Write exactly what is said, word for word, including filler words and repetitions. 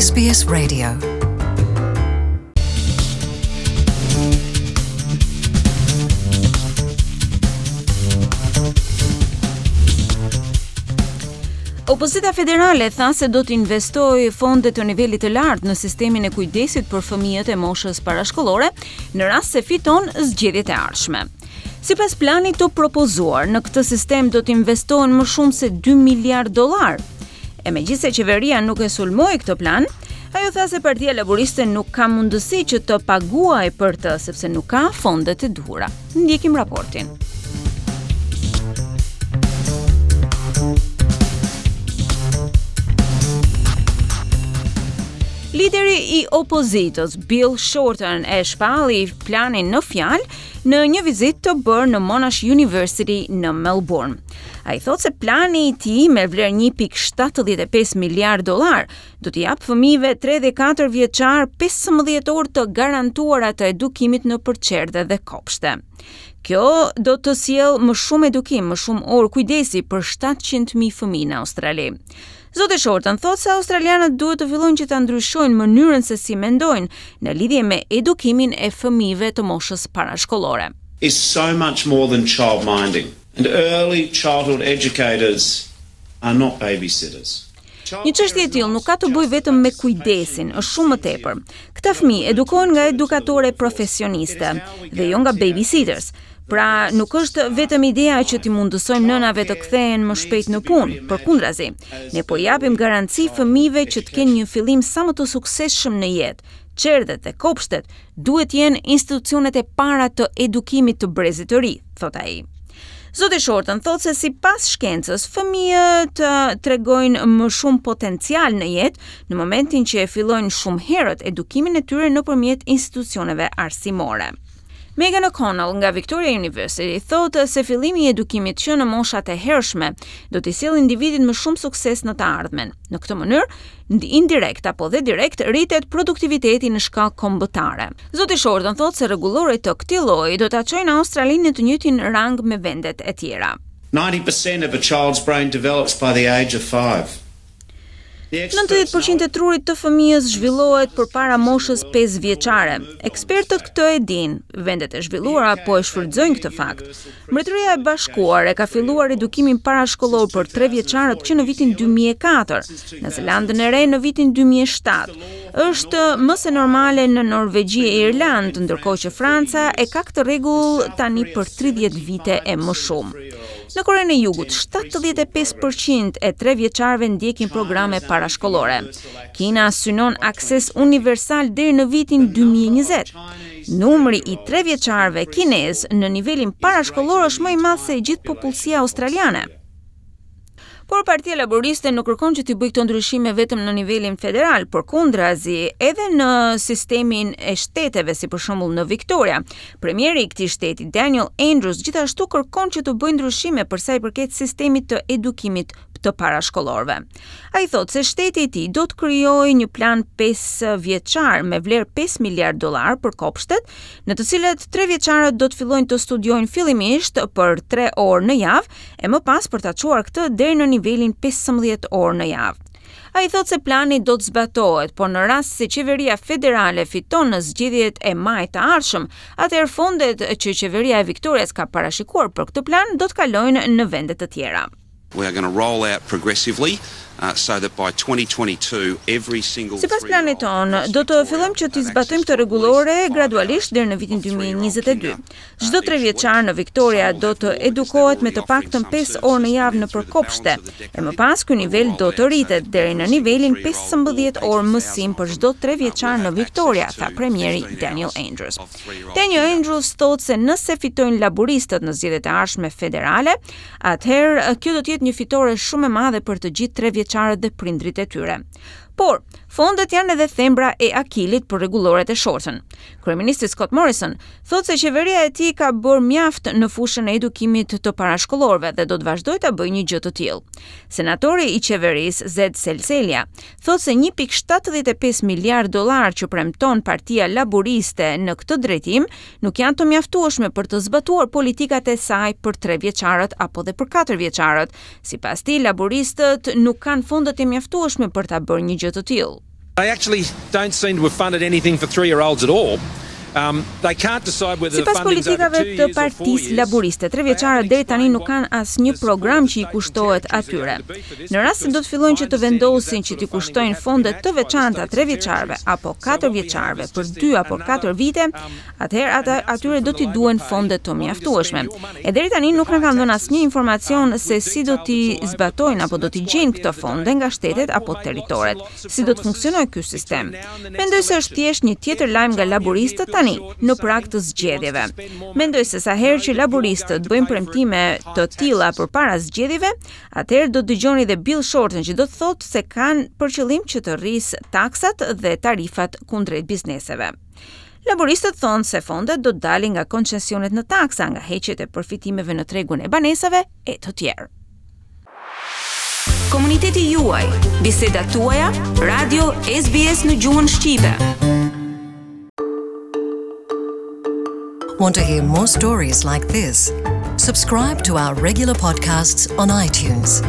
S B S Radio. Opozita federale tha se do të investojë fonde të nivelit të lartë në sistemin e kujdesit për fëmijët e moshës parashkollore në rast se fiton zgjedhjet e ardhshme. Sipas planit të propozuar, në këtë sistem do të investohen më shumë se dy miliard dollar. E megjithëse qeveria nuk e sulmoi këtë plan, ajo tha se Partia Laboriste nuk ka mundësi që të paguajë për të, sepse nuk ka fondet e duhura. Ndjekim raportin. Lideri i opozitës, Bill Shorten, e shpalli planin në fjalë në një vizitë të bërë në Monash University në Melbourne. Ai thotë se plani i tij me vlerë një pikë shtatëdhjetë e pesë miliard dollar do t'i japë fëmijëve tre dhe katër vjeçar pesëmbëdhjetë orë të garantuara të edukimit në çerdhe dhe kopshte. Kjo do të sjellë më shumë edukim, më shumë orë kujdesi për shtatëqind mijë fëmijë në Australi. Zoti Shorten thotë se australianët duhet të fillojnë që ta ndryshojnë mënyrën se si mendojnë në lidhje me edukimin e fëmijëve të moshës parashkollore. Is so much more than child minding. And early childhood educators are not babysitters. Një çështje e tillë nuk ka të bëjë vetëm me kujdesin, është shumë më tepër. Këta fëmijë edukohen nga edukatore profesioniste dhe jo nga babysitters. Pra, nuk është vetëm ideja që t'i mundësojmë nënave të kthehen më shpejt në punë, përkundrazi. Ne po japim garanci fëmijëve që të kenë një fillim sa më të suksesshëm në jetë. Çerdhet dhe kopshtet duhet jenë institucionet e para të edukimit të brezit të ri, thot ai. Zoti Shorten thotë se sipas shkencës, fëmijët tregojnë më shumë potencial në jetë në momentin që e fillojnë shumë herët edukimin e tyre nëpërmjet institucioneve arsimore. Megan O'Connell nga Victoria University thotë se fillimi i edukimit që në moshat e hershme do t'i sjellë individit më shumë sukses në të ardhmen. Në këtë mënyrë, indirekt apo dhe direkt rritet produktiviteti në shkallë kombëtare. Zoti Shorten thotë se rregulloret të këtij lloji do ta çojnë Australinë në të njëjtin rang me vendet e tjera. ninety percent of a child's brain develops by the age of five. nëntëdhjetë përqind e trurit të fëmijës zhvillohet përpara moshës pesë vjeçare. Ekspertët këtë e dinë, vendet e zhvilluara po e shfrytëzojnë këtë fakt. Mbretëria e Bashkuar e ka filluar edukimin parashkollor për tre vjeçarët që në vitin dy mijë e katër, në Zelandën e Re në vitin dy mijë e shtatë. Është më se normale në Norvegji e Irlandë, ndërkohë që Franca e ka këtë rregull tani për tridhjetë vite e më shumë. Në Korenë e Jugut, shtatëdhjetë e pesë përqind e tre vjeçarëve ndjekin programe parashkollore. Kina synon akses universal deri në vitin dy mijë e njëzet. Numri i tre vjeçarëve kinez në nivelin parashkollor është më i madh se e gjithë popullsia australiane. Por Partia Laboriste nuk kërkon që t'i bëjë këto ndryshime vetëm në nivelin federal, përkundrazi edhe në sistemin e shteteve, si për shembull në Victoria. Premieri i këtij shteti, Daniel Andrews, gjithashtu kërkon që të bëjë ndryshime për sa i përket sistemit të edukimit të parashkollorëve. Ai thotë se shteti i tij do të krijojë një plan pesë vjeçar me vlerë pesë miliard dollar për kopshtet, në të cilët tre vjeçarët do të fillojnë të studiojnë fillimisht për tre orë në javë e më pas për ta çuar këtë deri në nivelin pesëmbëdhjetë orë në javë. Ai thotë se plani do të zbatohet, por në rast se qeveria federale fiton në zgjedhjet e majit të ardhshëm, atëherë fondet që qeveria e Victorias ka parashikuar për këtë plan do të kalojnë në vende të tjera. We are going to roll out progressively uh, so that by twenty twenty-two every single Sipas planit tonë, do të fillojmë që t'i zbatojmë këtë rregullore gradualisht deri në vitin dy mijë e njëzet e dy. Çdo tre vjeçar në Victoria do të edukohet me të paktën pesë orë në javë nëpër kopshte, e më pas ky nivel do të rritet deri në nivelin pesëmbëdhjetë orë mësim për çdo tre vjeçar në Victoria, tha premieri Daniel Andrews. Daniel Andrews thotë se nëse fitojnë laboristët në zgjedhjet e ardhshme federale, atëherë kjo do të jetë një fitore shumë e madhe për të gjithë tre vjeçarët dhe prindrit e tyre. Por, fondet janë edhe thembra e Akilit për rregulloret e Shorten. Kryeministri Scott Morrison thotë se qeveria e tij ka bërë mjaft në fushën e edukimit të parashkollorëve dhe do të vazhdojë ta bëjë një gjë të tillë. Senatori i qeverisë Zed Seselja thotë se një pikë shtatëdhjetë e pesë miliard dollar që premton Partia Laboriste në këtë drejtim nuk janë të mjaftueshme për të zbatuar politikat e saj për tre vjeçarët apo dhe për katër vjeçarët. Sipas tij, laboristët nuk kanë fondet e mjaftueshme për ta bërë një gjë të tillë. They actually don't seem to have funded anything for three-year-olds at all. Um, they can't decide whether Sipas politikave të Partisë Laburiste, tre vjeçarët deri tani nuk kanë asnjë program që i kushtohet atyre. Në rast se do të fillojnë që të vendosin që t'i kushtojnë fonde të veçanta tre vjeçarëve apo katër vjeçarëve për dy apo katër vite, atëherë ata atyre do t'i duhen fonde të mjaftueshme. E deri tani nuk na kanë dhënë asnjë informacion se si do t'i zbatojnë apo do t'i gjejnë këto fonde nga shtetet apo territoret, si do të funksionojë ky sistem. Mendoj se është thjesht një tjetër lajm nga laburistët tani, në prag të zgjedhjeve. Mendoj se sa herë që laburistët bëjnë premtime të tilla përpara zgjedhjeve, atëherë do të dëgjoni dhe Bill Shorten që do të thotë se kanë për qëllim që të rrisë taksat dhe tarifat kundrejt bizneseve. Laboristët thonë se fondet do të dalin nga koncesionet në taksa, nga heqjet e përfitimeve në tregun e banesave e të tjerë. Komuniteti juaj, bisedat tuaja, Radio S B S në gjuhën shqipe. Want to hear more stories like this? Subscribe to our regular podcasts on iTunes.